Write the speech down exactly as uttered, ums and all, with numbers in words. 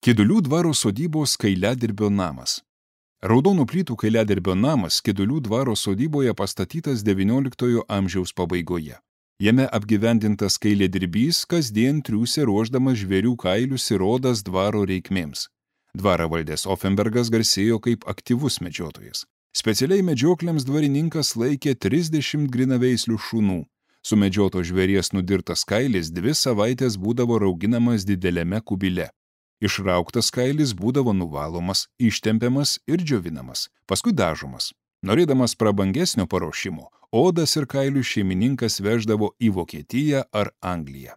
Kidulių dvaro sodybos kailiadirbio namas. Raudonų plytų kailiadirbio namas Kidulių dvaro sodyboje pastatytas devynioliktojo amžiaus pabaigoje. Jame apgyvendintas kailiadirbys kasdien triūsė ruošdamas žvėrių kailius ir odas dvaro reikmėms. Dvarą valdęs Ofenbergas garsėjo kaip aktyvus medžiotojas. Specialiai medžioklėms dvarininkas laikė trisdešimt grinaveislių šunų. Sumedžioto žvėries nudirtas kailis dvi savaitės būdavo rauginamas dideliame kubile. Išrauktas kailis būdavo nuvalomas, ištempiamas ir džiovinamas, paskui dažomas. Norėdamas prabangesnio paruošimo, odas ir kailių šeimininkas veždavo į Vokietiją ar Angliją.